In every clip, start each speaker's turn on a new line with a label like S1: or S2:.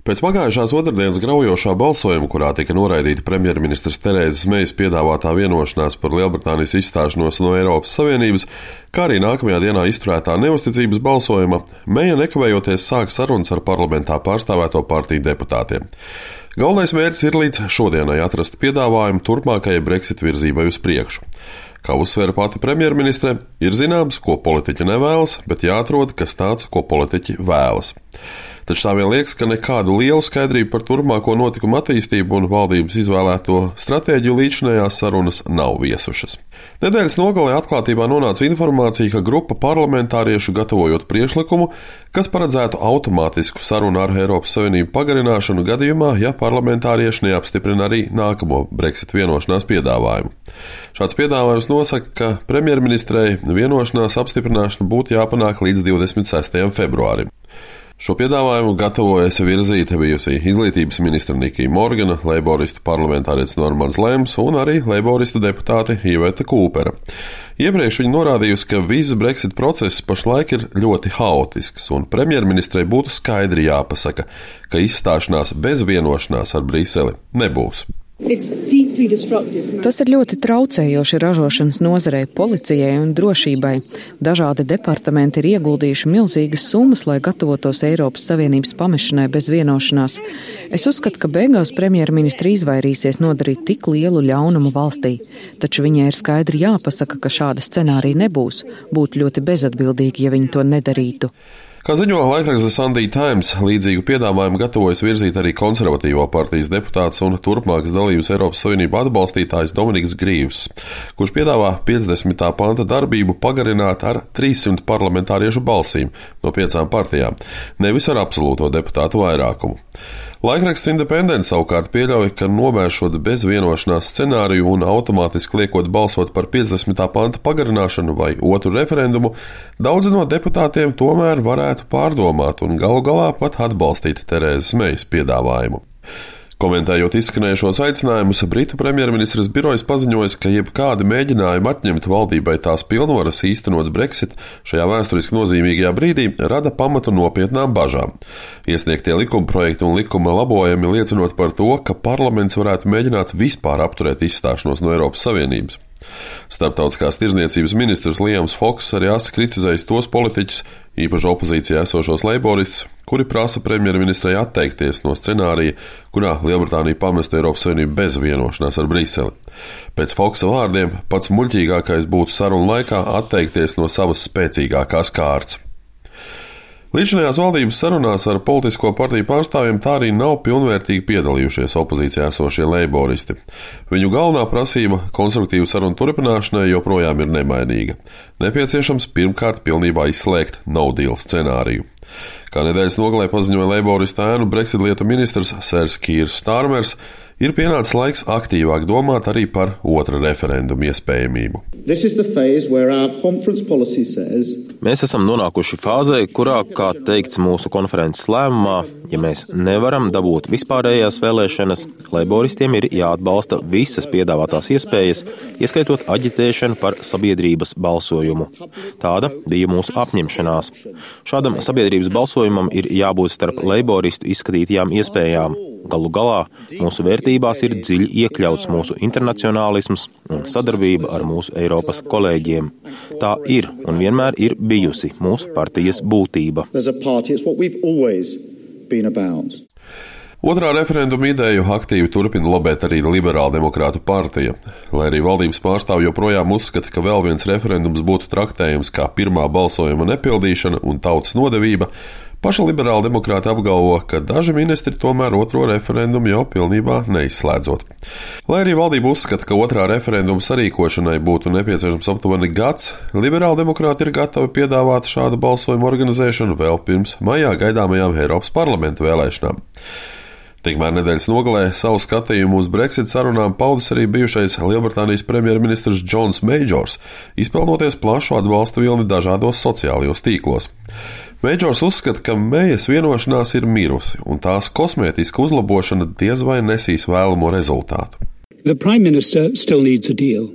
S1: Pēc pagājušās otrdienas graujošā balsojuma, kurā tika noraidīta premjerministres Terēzes Mejas piedāvātā vienošanās par Lielbritānijas izstāšanos no Eiropas Savienības, kā arī nākamajā dienā izturētā neusticības balsojuma, Meja nekavējoties sāk sarunas ar parlamentā pārstāvēto partiju deputātiem. Galvenais mērķis ir līdz šodienai atrast piedāvājumu turpmākajai Brexit virzībai uz priekšu. Kā uzsvēra pati premjerministre, ir zināms, ko politiķi nevēlas, bet jāatrod kas tāds, ko politiķi vēlas. Taču tā vien liekas, ka nekādu lielu skaidrību par turpmāko notikumu attīstību un valdības izvēlēto stratēģiju līdzinējās sarunas nav viesušas. Nedēļas nogalē atklātībā nonāca informācija, ka grupa parlamentāriešu gatavojot priekšlikumu, kas paredzētu automātisku sarunu ar Eiropas Savienību pagarināšanu gadījumā, ja parlamentārieši neapstiprina arī nākamo Brexit vienošanās piedāvājumu. Šāds piedāvājums nosaka, ka premjerministrei vienošanās apstiprināšana būtu jāpanāk līdz 26. februārim. Šo piedāvājumu gatavojas virzīt bijusi izglītības ministra Nikija Morgana, leiboristu parlamentārietis Normans Lems un arī leiboristu deputāte Iveta Kūpera. Iepriekš viņa norādījusi, ka viss Brexit process pašlaik ir ļoti haotisks, un premjerministrei būtu skaidri jāpasaka, ka izstāšanās bez vienošanās ar Briseli nebūs.
S2: Tas ir ļoti traucējoši ražošanas nozarei, policijai un drošībai. Dažādi departamenti ir ieguldījuši milzīgas summas, lai gatavotos Eiropas Savienības pamešanai bez vienošanās. Es uzskatu, ka beigās premjerministra izvairīsies nodarīt tik lielu ļaunumu valstī. Taču viņai ir skaidri jāpasaka, ka šāda scenārija nebūs. Būtu ļoti bezatbildīgi, ja viņi to nedarītu.
S1: Kā ziņo laikraksts The Sunday Times, līdzīgu piedāvājumu gatavojas virzīt arī konservatīvo partijas deputāts un turpmākas dalības Eiropas Savienību atbalstītājs Dominiks Grīvs, kurš piedāvā 50. panta darbību pagarināt ar 300 parlamentāriešu balsīm no 5 partijām, nevis ar absolūto deputātu vairākumu. Laikraksts Independent savukārt pieļauj, ka novēršot bez vienošanās scenāriju un automātiski liekot balsot par 50. panta pagarināšanu vai otru referendumu, daudzi no deputātiem tomēr varētu pārdomāt un galu galā pat atbalstīt Terēzes Mejas piedāvājumu. Komentējot izskanējušos aicinājumus, Britu premjerministres birojas paziņojas, ka jebkādi mēģinājumi atņemt valdībai tās pilnvaras īstenot Brexit šajā vēsturiski nozīmīgajā brīdī rada pamatu nopietnām bažām. Iesniegtie likumprojekti un likuma labojumi liecinot par to, ka parlaments varētu mēģināt vispār apturēt izstāšanos no Eiropas Savienības. Starptautiskās tirdzniecības ministrs Liams Foks arī asi kritizējis tos politiķus, īpaši opozīcijā esošos leiboristus, kuri prasa premjerministrei atteikties no scenārija, kurā Lielbritānija pamestu Eiropas Savienību bez vienošanās ar Briseli. Pēc Foksa vārdiem pats muļķīgākais būtu sarunu laikā atteikties no savas spēcīgākās kārtas. Līdzinājās valdības sarunās ar politisko partiju pārstāvjiem tā arī nav pilnvērtīgi piedalījušies opozīcijā esošie leiboristi. Viņu galvenā prasība konstruktīvu sarunu turpināšanai joprojām ir nemainīga. Nepieciešams pirmkārt pilnībā izslēgt no deal scenāriju. Kā nedēļas nogalē paziņoja leiboristu ēnu Brexit lietu ministrs Sers Kīrs Starmers, ir pienācis laiks aktīvāk domāt arī par otra referendumu iespējamību.
S3: Mēs esam nonākuši fāzē, kurā, kā teikts mūsu konferences lēmumā, ja mēs nevaram dabūt vispārējās vēlēšanas, leiboristiem ir jāatbalsta visas piedāvātās iespējas, ieskaitot aģitēšanu par sabiedrības balsojumu. Tāda bija mūsu apņemšanās. Šādam sabiedrības balsojumam ir jābūt starp leiboristu izskatītajām iespējām. Galu galā mūsu vērtībās ir dziļi iekļauts mūsu internacionālisms un sadarbība ar mūsu Eiropas kolēģiem. Tā ir un vienmēr ir bijusi mūsu partijas būtība.
S1: Otrā referenduma ideju aktīvi turpina lobēt arī Liberāla demokrātu partija. Lai arī valdības pārstāvji joprojām uzskata, ka vēl viens referendums būtu traktējams kā pirmā balsojuma nepildīšana un tautas nodevība, paša Liberāla demokrāti apgalvo, ka daži ministri tomēr otro referendumu jau pilnībā neizslēdzot. Lai arī valdība uzskata, ka otrā referenduma sarīkošanai būtu nepieciešams aptuveni gads, Liberāla demokrāti ir gatavi piedāvāt šādu balsojumu organizēšanu vēl pirms maijā gaidāmajām Eiropas parlamenta vēlēšanām. Tikmēr nedēļas nogalē savu skatījumu uz Brexit sarunām paudis arī bijušais Lielbritānijas premjerministrs Džons Meidžors, izpelnoties plašu atbalsta vilni dažādos sociālajos tīklos. Meidžors uzskata, ka Mejas vienošanās ir mirusi, un tās kosmētiska uzlabošana diez vai nesīs vēlamo rezultātu.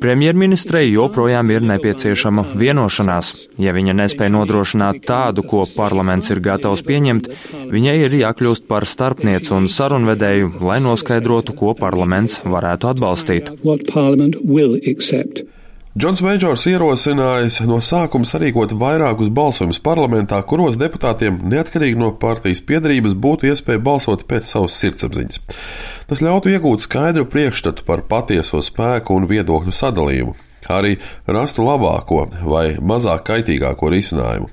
S4: Premjerministrei joprojām ir nepieciešama vienošanās. Ja viņa nespēja nodrošināt tādu, ko parlaments ir gatavs pieņemt, viņai ir jākļūst par starpnieci un sarunvedēju, lai noskaidrotu, ko parlaments varētu atbalstīt.
S1: Džons Meidžors ierosinājis no sākuma sarīkot vairākus balsojumus parlamentā, kuros deputātiem, neatkarīgi no partijas piedarības, būtu iespēja balsot pēc savas sirdsapziņas. Tas ļautu iegūt skaidru priekšstatu par patieso spēku un viedokļu sadalījumu, kā arī rastu labāko vai mazāk kaitīgāko risinājumu.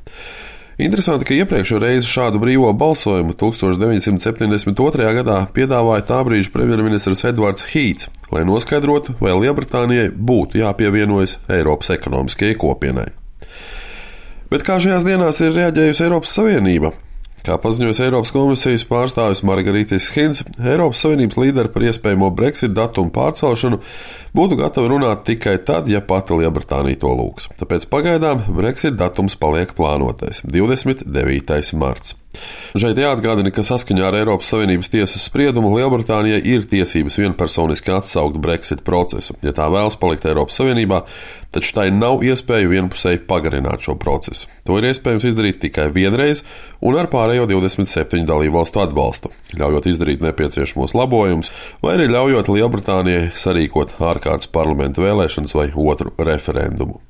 S1: Interesanti, ka iepriekšējo reizi šādu brīvo balsojumu 1972. gadā piedāvāja tā brīža premjerministrs Edvards Hīts, lai noskaidrotu, vai Lielbritānijai būtu jāpievienojas Eiropas ekonomiskajai kopienai. Bet kā šajās dienās ir reaģējusi Eiropas Savienība? Kā paziņojas Eiropas komisijas pārstāvis Margaritis Hinds, Eiropas Savienības līderi par iespējamo Brexit datumu pārcelšanu būtu gatavi runāt tikai tad, ja pati Lielbritānija to lūgs. Tāpēc pagaidām Brexit datums paliek plānotais – 29. marts. Šeit jāatgādina, ka saskaņā ar Eiropas Savienības tiesas spriedumu Lielbritānijai ir tiesības vienpersoniski atsaukt Brexit procesu, ja tā vēlas palikt Eiropas Savienībā, taču tai nav iespēju vienpusēji pagarināt šo procesu. To ir iespējams izdarīt tikai vienreiz un ar pārējo 27 dalībvalstu atbalstu, ļaujot izdarīt nepieciešamos labojumus vai arī ļaujot Lielbritānijai sarīkot ārkārtas parlamenta vēlēšanas vai otru referendumu.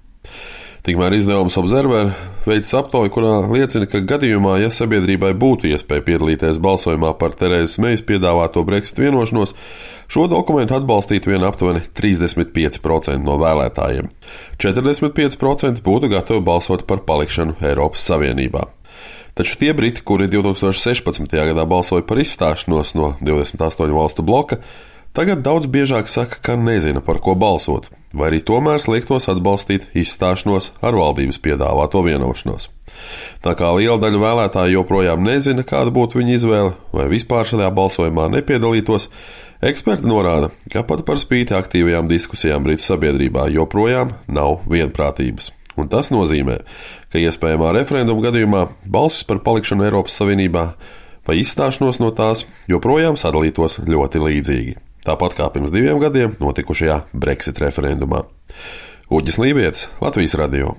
S1: Tikmēr izdevums Observer veids aptauju, kurā liecina, ka gadījumā, ja sabiedrībai būtu iespēja piedalīties balsojumā par Terezas Mejas piedāvāto Brexit vienošanos, šo dokumentu atbalstītu vien aptuveni 35% no vēlētājiem. 45% būtu gatavi balsot par palikšanu Eiropas Savienībā. Taču tie briti, kuri 2016. gadā balsoja par izstāšanos no 28 valstu bloka, tagad daudz biežāk saka, ka nezina, par ko balsot, vai arī tomēr sliektos atbalstīt izstāšanos ar valdības piedāvāto vienošanos. Tā kā liela daļa vēlētāju joprojām nezina, kāda būtu viņa izvēle, vai vispār šajā balsojumā nepiedalītos, eksperti norāda, ka pat par spīti aktīvajām diskusijām Britu sabiedrībā joprojām nav vienprātības. Un tas nozīmē, ka iespējamā referenduma gadījumā balsis par palikšanu Eiropas Savienībā vai izstāšanos no tās joprojām sadalītos ļoti līdzīgi. Tāpat kā pirms 2 gadiem notikušajā Brexit referendumā. Uģis Lībietis, Latvijas radio.